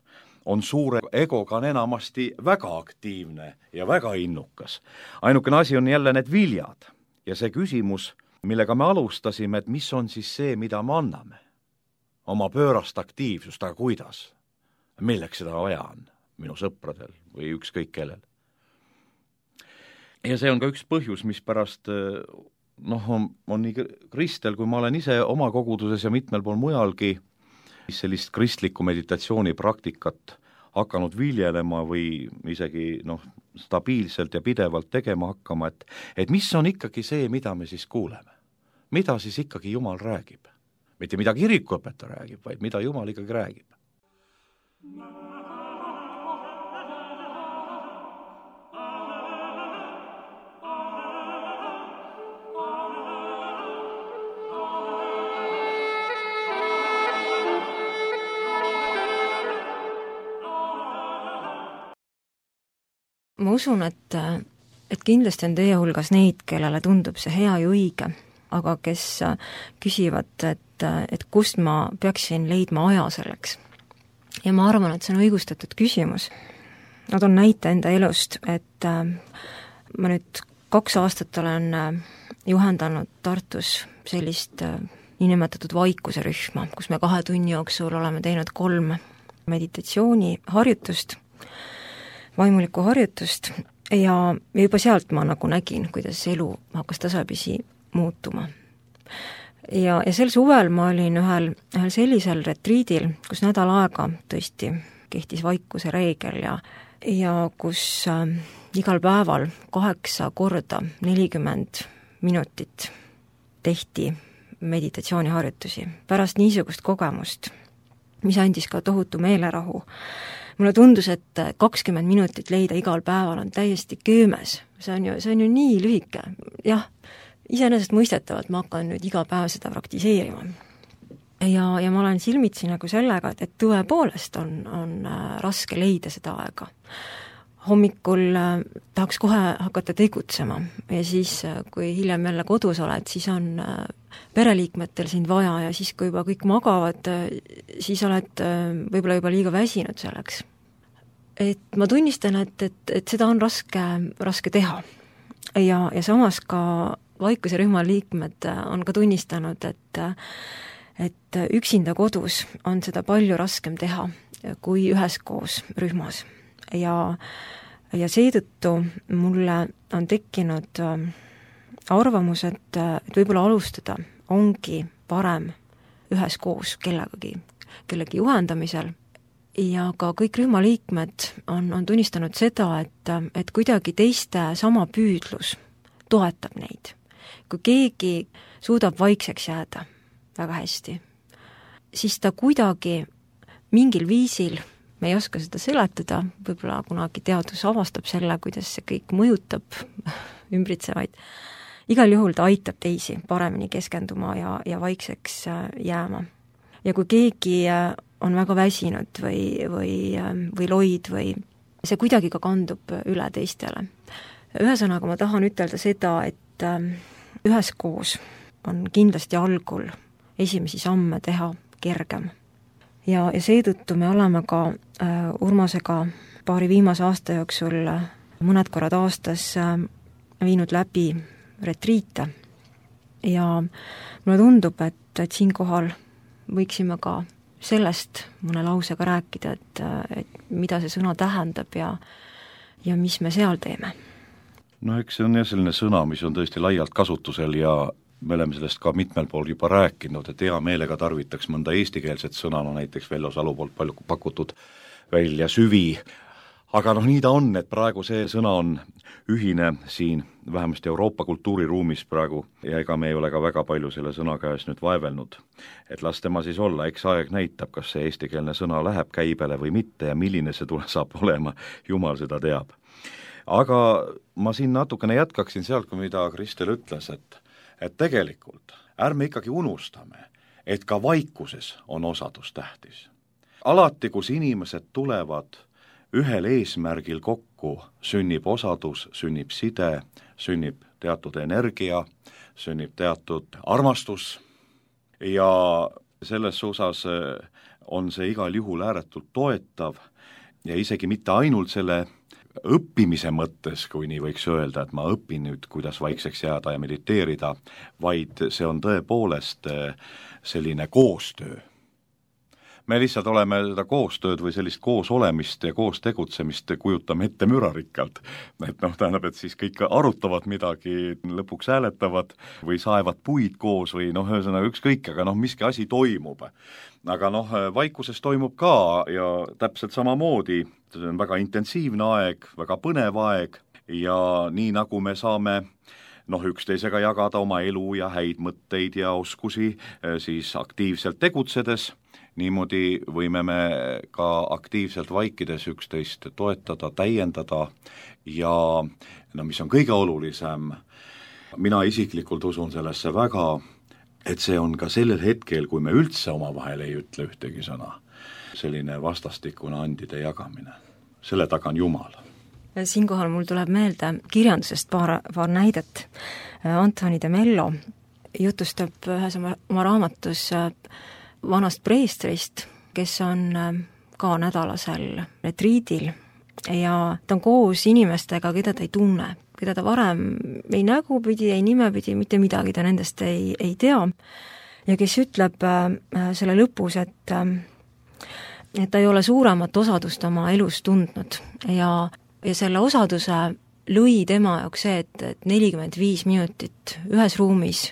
on suure egoga, on enamasti väga aktiivne ja väga innukas. Ainukene asi on jälle need viljad ja see küsimus, millega me alustasime, et mis on siis see, mida me anname. Oma pöörast aktiivsust, aga kuidas? Milleks seda vaja on minu sõpradel või ükskõik kellel? Ja see on ka üks põhjus, mis pärast noh, on, on nii Kristel, kui ma olen ise oma koguduses ja mitmel pool mujalgi sellist kristlikku meditatsioonipraktikat hakanud viljelema või isegi noh, stabiilselt ja pidevalt tegema hakkama, et, et mis on ikkagi see, mida me siis kuuleme. Mida siis ikkagi Jumal räägib? Mitte mida kirikuõpetaja räägib, vaid mida Jumal ikkagi räägib. Ma usun, et, et kindlasti on teie hulgas neid, kellele tundub see hea ja õige, aga kes küsivad, et, et kust ma peaksin leidma aja selleks. Ja ma arvan, et see on õigustatud küsimus. Ma toon näite enda elust, et ma nüüd kaks aastat olen juhendanud Tartus sellist niinimetatud vaikuse rühma, kus me kahe tunni jooksul oleme teinud kolm meditatsiooniharjutust, vaimulikku harjutust ja juba sealt ma nagu nägin, kuidas elu hakkas tasapisi muutuma. Ja, ja sel suvel ma olin ühel, ühel sellisel retriidil, kus nädal aega tõesti kehtis vaikuse reegel ja, ja kus äh, igal päeval kaheksa korda nelikümmend minutit tehti meditatsiooniharjutusi. Pärast niisugust kogemust, mis andis ka tohutu meelerahu, mulle tundus, et kakskümmend minutit leida igal päeval on täiesti köömes. See on ju, see on ju nii lühike. Jah, iseenesest mõistetavalt ma hakkan nüüd iga päev seda praktiseerima. Ja, ja ma olen silmitsi nagu sellega, et, et tõepoolest on, on raske leida seda aega. Hommikul tahaks kohe hakata tegutsema ja siis, kui hiljem jälle kodus oled, siis on pereliikmetel sind vaja ja siis, kui juba kõik magavad, siis oled võib-olla juba liiga väsinud selleks. Et ma tunnistan, et, et, et seda on raske, raske teha. Ja, ja samas ka vaikuse rühma liikmed on ka tunnistanud, et, et üksinda kodus on seda palju raskem teha kui üheskoos rühmas. Ja, ja seetõttu mulle on tekkinud arvamus, et, et võib-olla alustada ongi parem üheskoos kellegagi, kellegi juhendamisel ja ka kõik rühmaliikmed on, on tunnistanud seda, et, et kuidagi teiste sama püüdlus toetab neid. Kui keegi suudab vaikseks jääda väga hästi, siis ta kuidagi mingil viisil, me ei oska seda seletada, võib-olla kunagi teadus avastab selle, kuidas see kõik mõjutab ümbritsevaid. Igal juhul ta aitab teisi paremini keskenduma ja, ja vaikseks jääma. Ja kui keegi on väga väsinud või, või, või loid või see kuidagi ka kandub üle teistele. Ühesõnaga ma tahan ütelda seda, et üheskoos on kindlasti algul esimesi samme teha kergem. Ja, ja seetõttu me oleme ka äh, Urmasega paari viimase aasta jooksul mõned korrad aastas äh, viinud läbi retriite. Ja mulle tundub, et, et siinkohal võiksime ka sellest mõne lausega rääkida, et, et mida see sõna tähendab ja, ja mis me seal teeme. No eks see on jah selline sõna, mis on tõesti laialt kasutusel ja me oleme sellest ka mitmel pool juba rääkinud, et hea meelega tarvitaks mõnda eestikeelset sõna, no näiteks Vello Salu poolt palju pakutud välja süvi aga noh, nii ta on, et praegu see sõna on ühine siin, vähemasti Euroopa kultuuriruumis praegu, ja ega me ei ole ka väga palju selle sõna käes nüüd vaevelnud. Et las tema siis olla, eks aeg näitab, kas see eestikeelne sõna läheb käibele või mitte ja milline see tule saab olema, jumal seda teab. Aga ma siin natukene jätkaksin sealt, mida Kristel ütles, et, et tegelikult ärme ikkagi unustame, et ka vaikuses on osadus tähtis. Alati, kus inimesed tulevad ühel eesmärgil kokku, sünnib osadus, sünnib side, sünnib teatud energia, sünnib teatud armastus ja selles osas on see igal juhul ääretult toetav ja isegi mitte ainult selle õppimise mõttes, kui nii võiks öelda, et ma õpin nüüd, kuidas vaikseks jääda ja mediteerida, vaid see on tõepoolest selline koostöö. Me lihtsalt oleme seda koostööd või sellist koos olemist ja koos tegutsemist kujutame ette mürarikkalt. Et noh, tähendab, et siis kõik arutavad midagi, lõpuks hääletavad või saevad puid koos või noh, ühesõnaga ükskõik, aga noh, miski asi toimub. Aga noh, vaikuses toimub ka ja täpselt samamoodi, see on väga intensiivne aeg, väga põnev aeg ja nii nagu me saame noh, üksteisega jagada oma elu ja häid mõtteid ja oskusi siis aktiivselt tegutsedes, niimoodi võime me ka aktiivselt vaikides üksteist toetada, täiendada ja no mis on kõige olulisem, mina isiklikult usun sellesse väga, et see on ka sellel hetkel, kui me üldse omavahel ei ütle ühtegi sõna, selline vastastikune andide jagamine. Selle taga on Jumal. Siinkohal mul tuleb meelde kirjandusest paar, paar näidet. Antoni de Mello jutustab ühes oma, oma raamatus vanast preestrist, kes on ka nädalasel retriidil ja ta on koos inimestega, keda ta ei tunne, keda ta varem ei nägupidi, ei nimepidi, mitte midagi ta nendest ei, ei tea ja kes ütleb selle lõpus, et, et ta ei ole suuremat osadust oma elus tundnud ja, ja selle osaduse lõi tema jaoks see, et, et nelikümmend viis minutit ühes ruumis,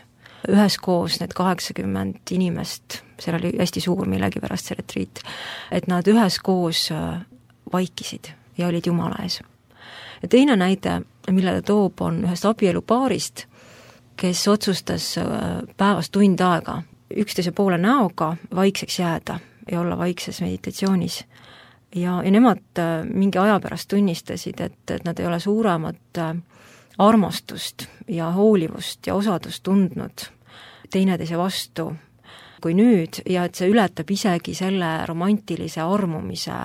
üheskoos need kaheksakümmend inimest, seal oli hästi suur millegipärast see retriit, et nad üheskoos vaikisid ja olid Jumala ees. Ja teine näide, mille ta toob, on ühest abielupaarist, kes otsustas päevast tund aega üksteise poole näoga vaikseks jääda ja olla vaikses meditatsioonis. Ja, ja nemad mingi aja pärast tunnistasid, et, et nad ei ole suuremat armastust ja hoolivust ja osadust tundnud teineteise vastu kui nüüd ja et see ületab isegi selle romantilise armumise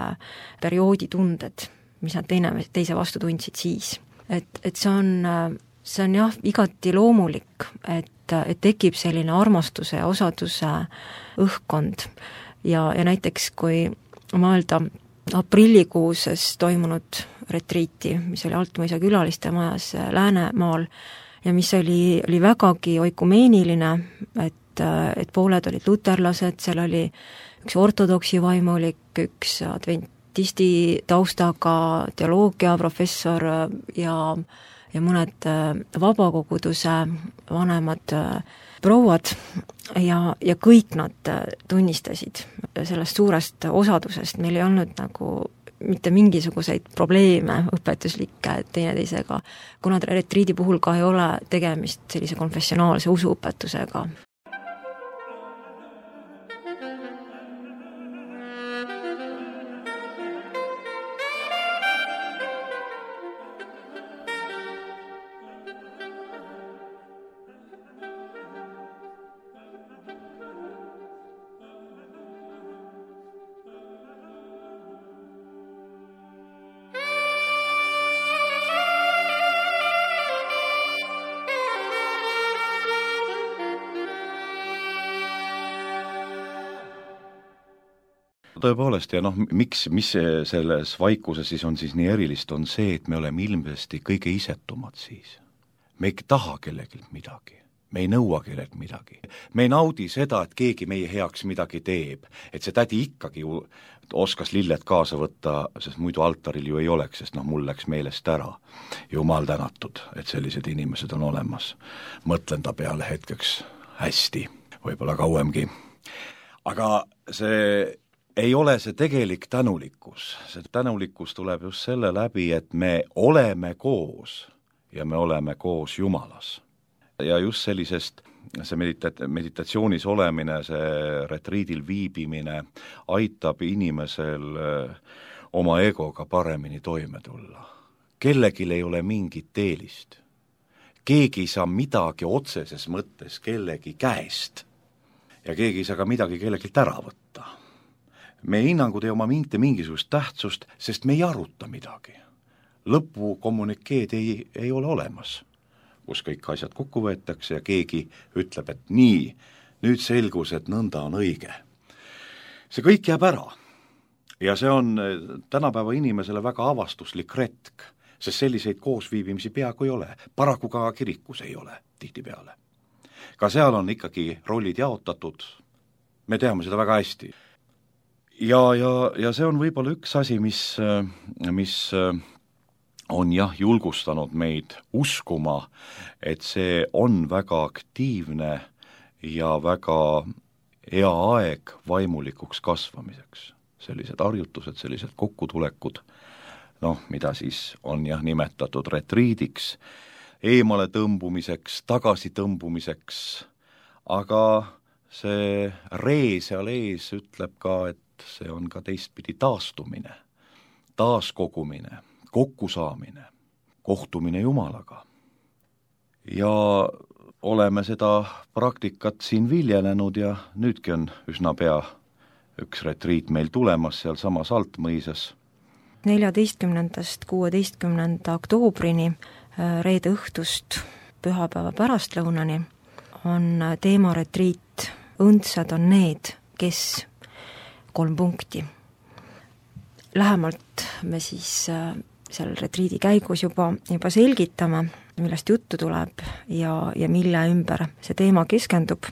perioodi tunded, mis nad teine, teise vastu tundsid siis. Et, et see on, see on jah, igati loomulik, et, et tekib selline armastuse ja osaduse õhkkond ja, ja näiteks kui mõelda aprillikuuses toimunud retriiti, mis oli Altmõisa külaliste majas Läänemaal ja mis oli, oli vägagi oikumeeniline, et, et pooled olid luterlased, seal oli üks ortodoksi vaimulik, üks adventisti taustaga teoloogia professor ja, ja mõned vabakoguduse vanemad prouad ja, ja kõik nad tunnistasid sellest suurest osadusest, meil ei olnud nagu mitte mingisuguseid probleeme õpetuslikke teineteisega, kuna retriidi puhul ka ei ole tegemist sellise konfessionaalse usuõpetusega. Tõepoolest ja noh, miks, mis selles vaikuses siis on siis nii erilist, on see, et me oleme ilmselt kõige isetumad siis. Me ei taha kellegilt midagi, me ei nõua kellelt midagi. Me ei naudi seda, et keegi meie heaks midagi teeb, et see tädi ikkagi ju oskas lilled kaasa võtta, sest muidu altaril ju ei oleks, sest noh, mul läks meelest ära. Jumal tänatud, et sellised inimesed on olemas. Mõtlen ta peale hetkeks hästi, võib-olla kauemgi. Aga see ei ole see tegelik tänulikkus. See tänulikkus tuleb just selle läbi, et me oleme koos ja me oleme koos Jumalas. Ja just sellisest, see medita- meditatsioonis olemine, see retriidil viibimine aitab inimesel oma egoga paremini toime tulla. Kellegil ei ole mingit eelist. Keegi ei saa midagi otseses mõttes kellegi käest ja keegi ei saa ka midagi kellegilt ära võtta. Meie hinnangud ei oma mitte mingisugust tähtsust, sest me ei aruta midagi. Lõpu kommunikeed ei, ei ole olemas, kus kõik asjad kokku võetakse ja keegi ütleb, et nii, nüüd selgus, et nõnda on õige. See kõik jääb ära ja see on tänapäeva inimesele väga avastuslik retk, sest selliseid koosviibimisi peaaegu ei ole, paraku ka kirikus ei ole tihtipeale. Ka seal on ikkagi rollid jaotatud, me teame seda väga hästi. Ja, ja, ja see on võib-olla üks asi, mis, mis on jah julgustanud meid uskuma, et see on väga aktiivne ja väga hea aeg vaimulikuks kasvamiseks. Sellised harjutused, sellised kokkutulekud, noh, mida siis on jah nimetatud retriidiks, eemale tõmbumiseks, tagasi tõmbumiseks, aga see ree seal ees ütleb ka, et see on ka teistpidi taastumine, taaskogumine, kokkusaamine, kohtumine Jumalaga. Ja oleme seda praktikat siin viljelenud ja nüüdki on üsna pea üks retriit meil tulemas seal samas Altmõisas. neljateistkümnendast kuueteistkümnenda oktoobrini reede õhtust pühapäeva pärastlõunani on teemaretriit Õndsad on need, kes kolm punkti. Lähemalt me siis seal retriidi käigus juba, juba selgitame, millest juttu tuleb ja, ja mille ümber see teema keskendub,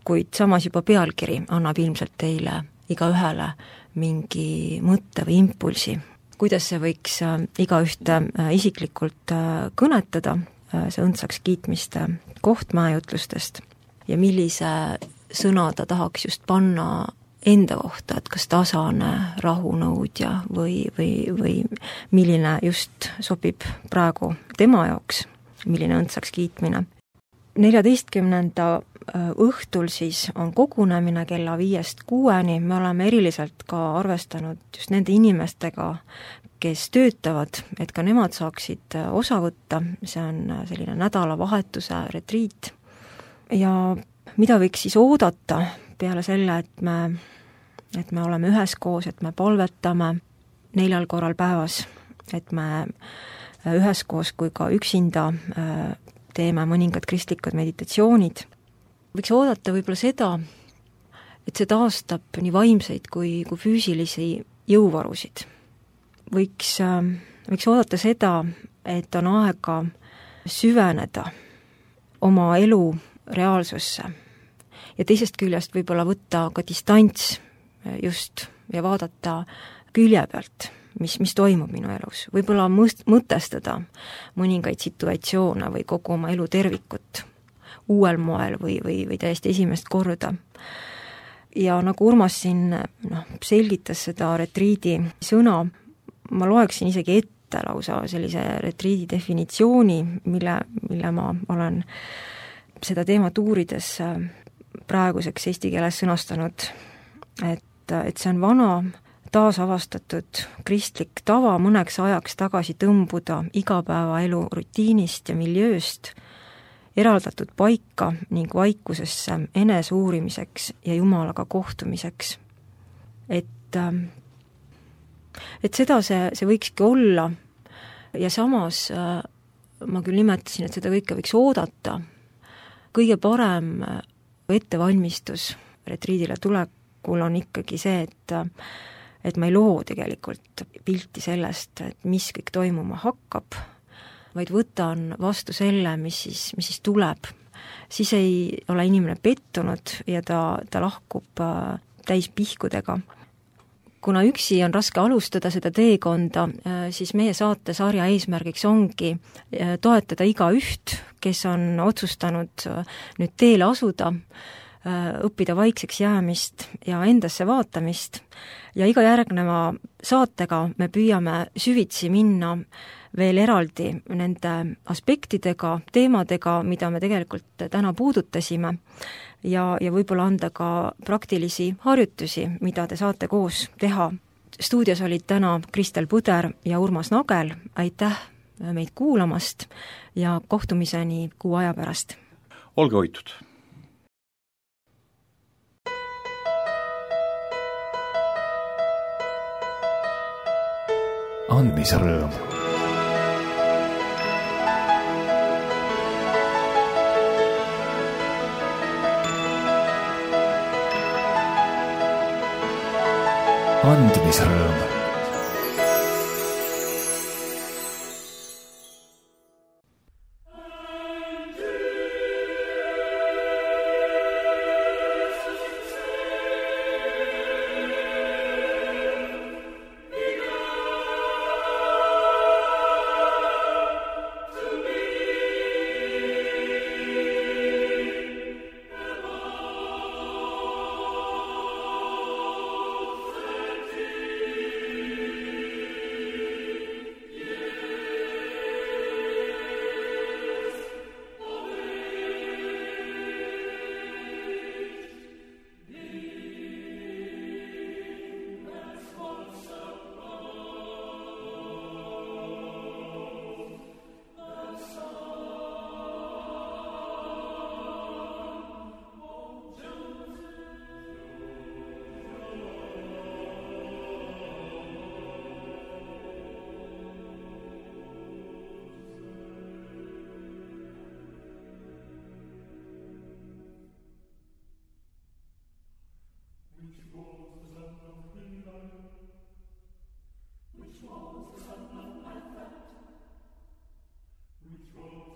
kuid samas juba pealkiri annab ilmselt teile igaühele mingi mõtte või impulsi, kuidas see võiks igaühte isiklikult kõnetada, see õndsaks kiitmiste koht mäejutlustest ja millise sõna ta tahaks just panna enda kohta, et kas tasane rahunõudja või, või, või milline just sobib praegu tema jaoks, milline õndsaks kiitmine. neljateistkümnenda õhtul siis on kogunemine kella viiest kuueni, me oleme eriliselt ka arvestanud just nende inimestega, kes töötavad, et ka nemad saaksid osa võtta, see on selline nädalavahetuse retriit. Ja mida võiks siis oodata peale selle, et me, et me oleme üheskoos, et me palvetame neljal korral päevas, et me üheskoos kui ka üksinda teeme mõningad kristlikud meditatsioonid. Võiks oodata võib-olla seda, et see taastab nii vaimseid kui, kui füüsilisi jõuvarusid. Võiks, võiks oodata seda, et on aega süveneda oma elu reaalsusse ja teisest küljest võib-olla võtta ka distants just ja vaadata külje pealt, mis, mis toimub minu elus. Võib-olla mõst, mõtestada mõningaid situatsioone või kogu oma elu tervikut uuel moel või, või, või täiesti esimest korda. Ja nagu Urmas siin noh, selgitas seda retriidi sõna, ma loeksin isegi ette lausa sellise retriidi definitsiooni, mille, mille ma olen seda teemat uurides praeguseks eesti keeles sõnastanud, et, et see on vana taasavastatud kristlik tava mõneks ajaks tagasi tõmbuda igapäevaelu rutiinist ja miljööst, eraldatud paika ning vaikusesse eneseuurimiseks ja Jumalaga kohtumiseks. Et, et seda see, see võikski olla ja samas ma küll nimetasin, et seda kõike võiks oodata. Kõige parem ettevalmistus retriidile tulekul on ikkagi see, et, et ma ei loo tegelikult pilti sellest, et mis kõik toimuma hakkab, vaid võtan vastu selle, mis siis, mis siis tuleb. Siis ei ole inimene pettunud ja ta, ta lahkub täis pihkudega. Kuna üksi on raske alustada seda teekonda, siis meie saatesarja eesmärgiks ongi toetada iga üht, kes on otsustanud nüüd teele asuda, õppida vaikseks jäämist ja endasse vaatamist ja iga järgneva saatega me püüame süvitsi minna veel eraldi nende aspektidega, teemadega, mida me tegelikult täna puudutasime ja, ja võib-olla anda ka praktilisi harjutusi, mida te saate koos teha. Stuudios olid täna Kristel Puder ja Urmas Nagel, aitäh meid kuulamast ja kohtumiseni kuu aja pärast. Olge hoitud! andmisrõõm. andmisrõõm. Which was the son of Advent, which was